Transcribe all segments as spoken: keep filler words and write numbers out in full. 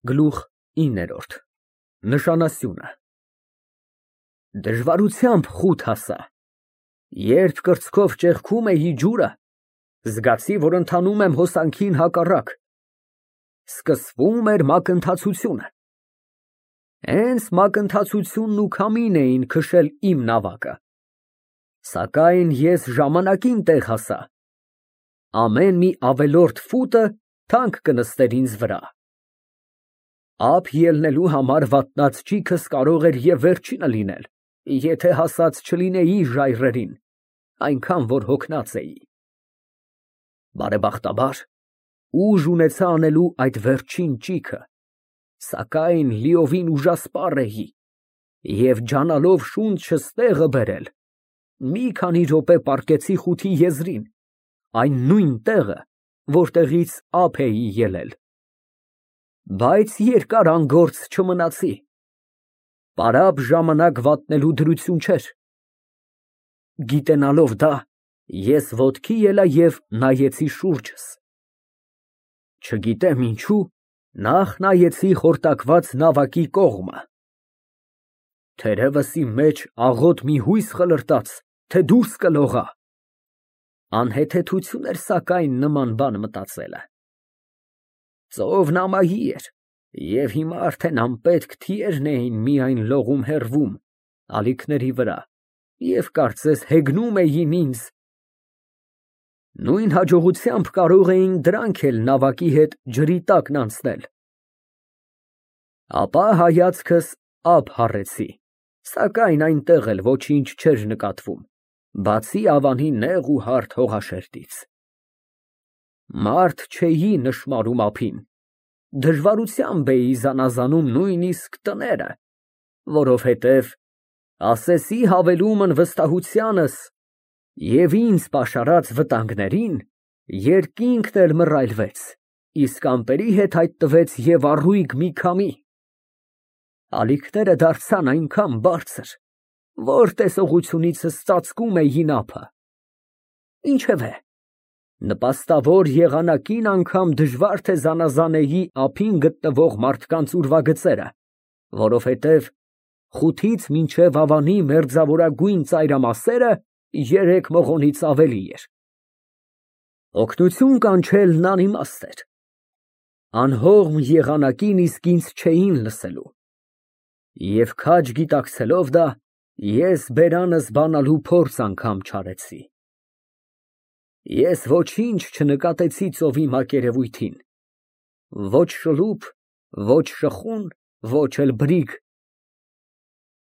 Գլուխ ինը Նշանասյունը Դժվարությամբ խուտ հասա, երբ կրծքով ճեղքում էի ջուրը, զգացի, որ ընթանում եմ հոսանքին հակառակ, սկսվում էր մակընթացությունը, հենց մակընթացությունն ու քամին էին քշել իմ նավակը, սակայն ես ժամանակին տեղ հասա, ամեն մի ավելորդ ֆուտը թանկ կնստեր ինձ վրա, ափ ելնելու համար վատնած ճիգս կարող էր և վերջինը լինել, եթե հասած չլինեի ժայռերին, այնքան որ հոգնած էի, բարեբախտաբար ուժ ունեցա անելու այդ վերջին ճիգը, սակայն լիովին ուժասպառ էի և ջանալով շունչս տեղը բերել, մի քանի րոպե պառկեցի խութի եզրին, այն նույն տեղը, որտեղից ափ էի ելել, բայց երկար անգործ չմնացի, պարապ ժամանակ վատնելու դրություն չէր, գիտենալով դա, ես ոտքի ելա և նայեցի շուրջս, չգիտեմ ինչու, նախ նայեցի խորտակված նավակի կողմը, թերևս իմ մեջ աղոտ մի հույս խլրտաց, թե դուրս կլողա, անհեթեթություն էր սակայն նման բան մտածելը, ծովն ամայի էր, և հիմա արդեն անպետք թիերն էին միայն լողում հեռվում, ալիքների վրա, և կարծես հեգնում էին ինձ, նույն հաջողությամբ կարող էին դրանք էլ նավակի հետ ջրի տակն անցնել, ապա հայացքս ափ հառեցի, սակայն այնտեղ էլ ոչինչ չէր նկատվում, բացի ավանի նեղ ու հարթ հողաշերտից, մարդ չէի նշմարում ափին, դժվարությամբ էի զանազանում նույնիսկ տները, որովհետև, ասեսի հավելումն վստահությանս և ինձ պաշարած վտանգներին, երկինքն էլ մռայլվեց, իսկ ամպերի հետ հայտնվեց և առույգ մի քամի, ալիքները դարձան այնքան բարձր, որ տեսողությունիցս ծածկում էին ափը, ինչևէ, նպաստավոր եղանակին անգամ դժվար թե զանազանեի ափին գտնվող մարդկանց ուրվագծերը, որովհետև խութից մինչև ավանի մերձավորագույն ծայրամասերը երեք մղոնից ավելի էր, օգնություն կանչելն անիմաստ էր, անհողմ եղանակին իսկ ինձ չէին լսելու, և քաջ գիտակցելով դա, ես բերանս բանալու փորձ անգամ չարեցի, ես ոչինչ չնկատեցի ծովի մակերևույթին, ոչ շլուփ, ոչ շխուն, ոչ էլ բրիգ,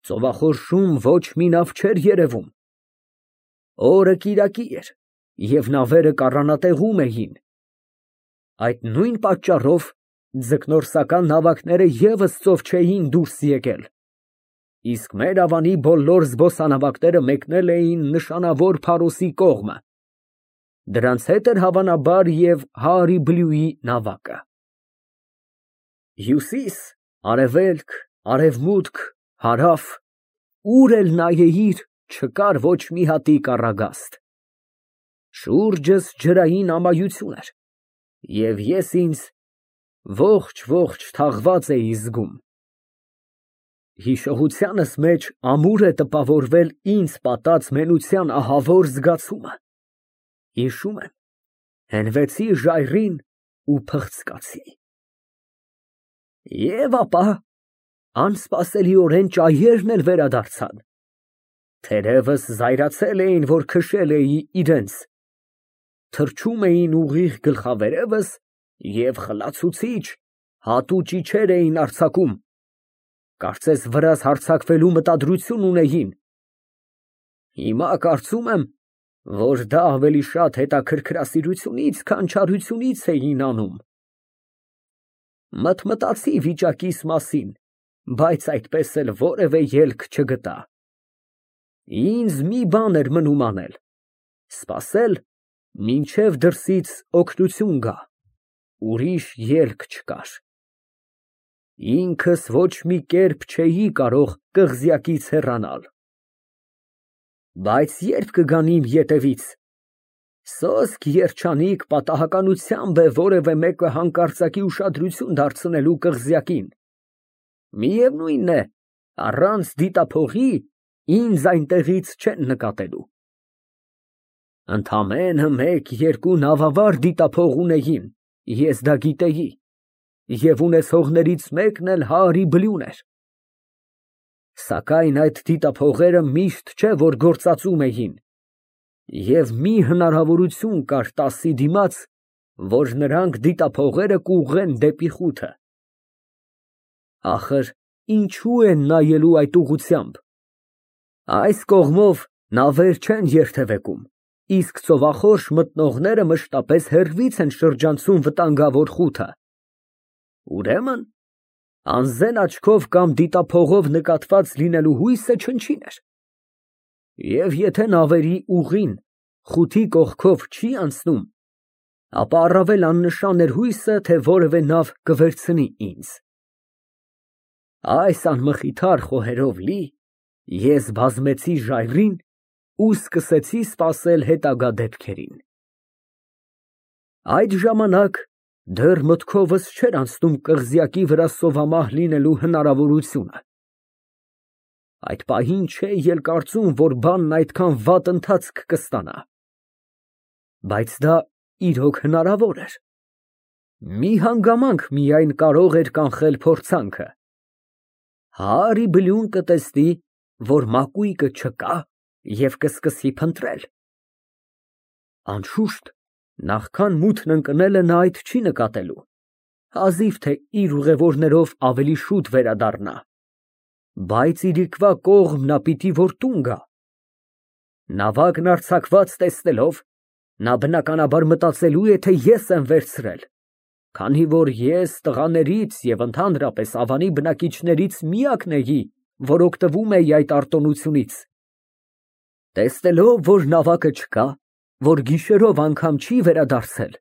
ծովախորշում ոչ մի նավ չէր երևում, օրը կիրակի էր և նավերը կառանատեղում էին, այդ նույն պատճառով ձկնորսական նավակները ևս ծով չէին դուրս եկել, իսկ մեր ավանի բոլոր զբոսանավակները մեկնել էին նշանավոր Փարոսի կողմը, դրանց հետ էր հավանաբար և Հայրիբլուի նավակը, հյուսիս, արևելք, արևմուտք, հարավ, ուր էլ նայեիր, չկար ոչ մի հատիկ առագաստ, շուրջս ջրային ամայություն էր, և ես ինձ ողջ֊ողջ թաղված էի զգում, հիշողությանս մեջ ամուր է տպավորվել ինձ պատած մենության ահավոր զգացումը, հիշում եմ, հենվեցի ժայռին ու փղծկացի, և ապա անսպասելիորեն ճայերն էլ վերադարձան, թերևս զայրացել էին, որ քշել էի իրենց, թռչում էին ուղիղ գլխավերևս և խլացուցիչ, հատու ճիչեր էին արձակում, կարծես վրաս հարձակվելու մտադրություն ունեին, հիմա կարծում եմ, որ դա ավելի շատ հետաքրքրասիրությունից, քան չարությունից էին անում, մտմտացի վիճակիս մասին, բայց այդպես էլ որևէ ելք չգտա, ինձ մի բան էր մնում անել, սպասել, մինչև դրսից օգնություն գա, ուրիշ ելք չկար, ինքս ոչ մի կերպ չէի կարող կղզյակից հեռանալ, բայց ե՞րբ կգան իմ ետևից, Սոսկ երջանիկ պատահականությամբ է որևէ մեկը հանկարծակի ուշադրություն դարձնելու կղզյակին։ Միևնույն է, առանց դիտափողի ինձ այնտեղից չեն նկատելու։ Ընդամենը մեկ֊երկու նավավար դիտափող ունեին, ես դա գիտեի, և ունեցողներից մեկն էլ Հայրի բլյուն էր։ Սակայն այդ դիտափողերը միշտ չէ որ գործածում էին, և մի հնարավորություն կար տասի դիմաց, որ նրանք դիտափողերը կուղղեն դեպի խութը։ Ինչո՞ւ են նայելու այդ ուղղությամբ։ Այս կողմով նավեր չեն երթևեկում, իսկ ծովախորշ մտնողները մշտապես հեռվից են շրջանցում վտանգավոր խութը։ Ուրեմն անզեն աչքով կամ դիտափողով նկատված լինելու հույսը չնչին էր։ Եվ եթե նավերի ուղին խութի կողքով չի անցնում, ապա առավել աննշան էր հույսը, թե որևէ նավ կվերցնի ինձ։ Այս անմխիթար խոհերով լի, ես բազմեցի ժայռին ու սկսեցի սպասել հետագա դեպքերին։ Այդ ժամանակ դեռ մտքովս չէր անցնում կղզյակի վրա սովամահ լինելու հնարավորությունը։ Այդ պահին չէի էլ կարծում, որ բանն այդքան վատ ընթացք կստանա։ Բայց դա իրոք հնարավոր էր։ Մի հանգամանք միայն կարող էր կանխել փորձանքը։ Հայրի բլյուն կտեսնի, որ մակույկը չկա և կսկսի փնտրել։ Անշուշտ, նախքան մութն ընկնելը նա այդ չի նկատելու, հազիվ թե իր ուղևորներով ավելի շուտ վերադառնա, բայց իրիկվա կողմ նա պիտի որ տուն գա։ Նավակն արձակված տեսնելով, նա բնականաբար մտածելու է, թե ես եմ վերցրել, քանի որ ես տղաներից և ընդհանրապես ավանի բնակիչներից միակն էի, որ օգտվում էի այդ արտոնությունից։ Տեսնելով, որ նավակը չկա, որ գիշերով անգամ չի վերադարձել,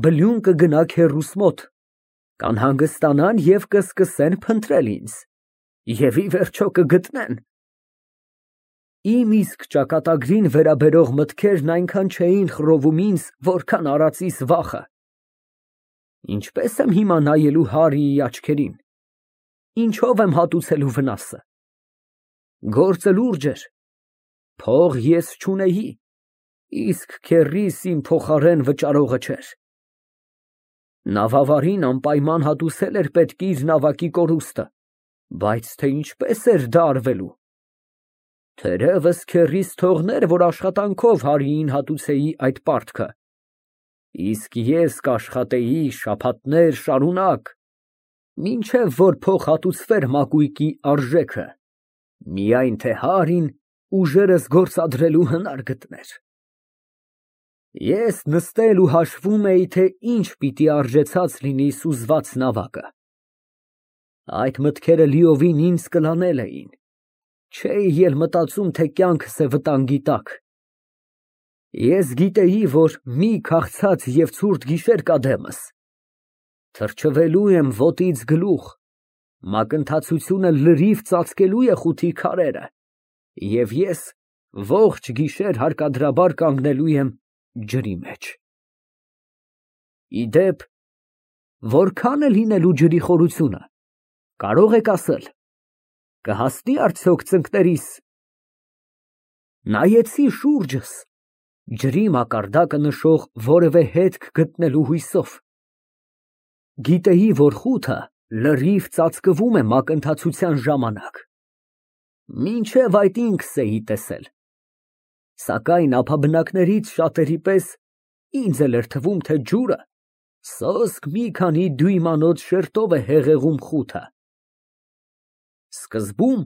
բլյուն կգնա քեռուս մոտ, կանհանգստանան և կսկսեն փնտրել ինձ, և ի վերջո կգտնեն։ Իմ իսկ ճակատագրին վերաբերող մտքերն այնքան չէին խռովում ինձ, որքան արածիս վախը։ Ինչպե՞ս եմ հիմա նայելու Հարիի աչքերին, ինչո՞վ եմ հատուցելու վնասը։ Գործը լուրջ էր, փող ես չունեի, իսկ քեռիս իմ փոխարեն վճարողը չէր։ Նավավարին անպայման հատուցել էր պետք իր նավակի կորուստը, բայց թե ինչպես էր դա արվելու։ Թերևս քեռիս թողներ, որ աշխատանքով Հարիին հատուցեի այդ պարտքը, իսկ ես կաշխատեի շաբաթներ շարունակ, մինչև որ փող հատուցվեր մակույկի արժեքը, միայն թե Հարին ուժերս գործադրելու հնար գտներ։ Ես նստել ու հաշվում էի, թե ինչ պիտի արժեցած լինի սուզված նավակը։ Այդ մտքերը լիովին ինձ կլանել էին, չէի էլ մտածում, թե կյանքս է վտանգի տակ։ Ես գիտեի, որ մի քաղցած և ցուրտ գիշեր կա դեմս, թրջվելու եմ ոտից գլուխ, մակընթացությունը լրիվ ծածկելու է խութի քարերը, և ես ողջ գիշեր հարկադրաբար կանգնելու եմ ջրի մեջ։ Ի դեպ, որքան է լինելու ջրի խորությունը, կարող եք ասել, կհասնի արդյոք ծնկներիս։ Նայեցի շուրջս, ջրի մակարդակը նշող որևէ հետք գտնելու հույսով։ Գիտեի, որ խութը լրիվ ծածկվում է մակընթացության ժամանակ, մինչև այդ ինքս էի տեսել, սակայն ափաբնակներից շատերի պես ինձ էլ էր թվում, թե ջուրը սոսկ մի քանի դյույմանոց շերտով է հեղեղում խութը։ Սկզբում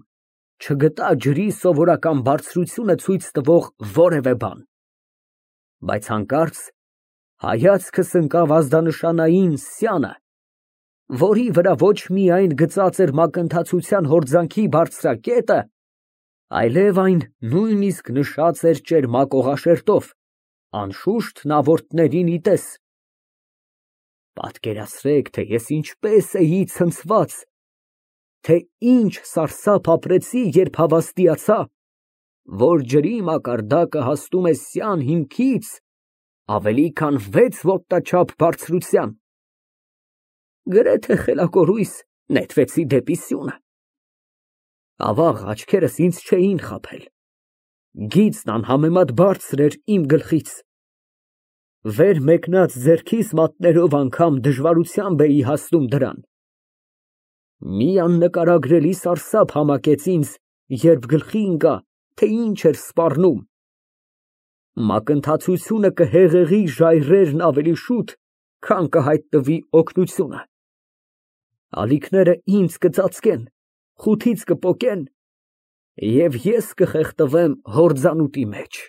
չգտա ջրի սովորական բարձրությունը ցույց տվող որևէ բան, բայց հանկարծ հայացքս ընկավ ազդանշանային սյանը, որի վրա ոչ միայն գծած էր մակընթացության հորձանքի բարձրակետը, այլև այն նույնիսկ նշած էր ճերմակ օղաշերտով, անշուշտ նավորդներին ի տես։ Պատկերացրեք, թե ես ինչպես էի ցնցված, թե ինչ սարսափ ապրեցի, երբ հավաստիացա, որ ջրի մակարդակը հասնում է սյան հիմքից ավելի քան վեց ոտնաչափ բարձրության։ Գրեթե խելակորույս նետվեցի դեպի սյունը։ Ավաղ աչքերս ինձ չէին խաբել։ Գիծն անհամեմատ բարձր էր իմ գլխից։ Վեր մեկնած ձեռքիս մատներով անգամ դժվարությամբ էի հասնում դրան։ Մի աննկարագրելի սարսափ համակեց ինձ, երբ գլխի ընկա, թե ինչ էր սպառնում։ Մակընթացությունը կհեղեղի ժայռերն ավելի շուտ, քան կհայտնվի օգնությունը։ Ալիքները ինձ կծածկեն, խութից կպոկեն, և ես կխեղդվեմ հորձանուտի մեջ։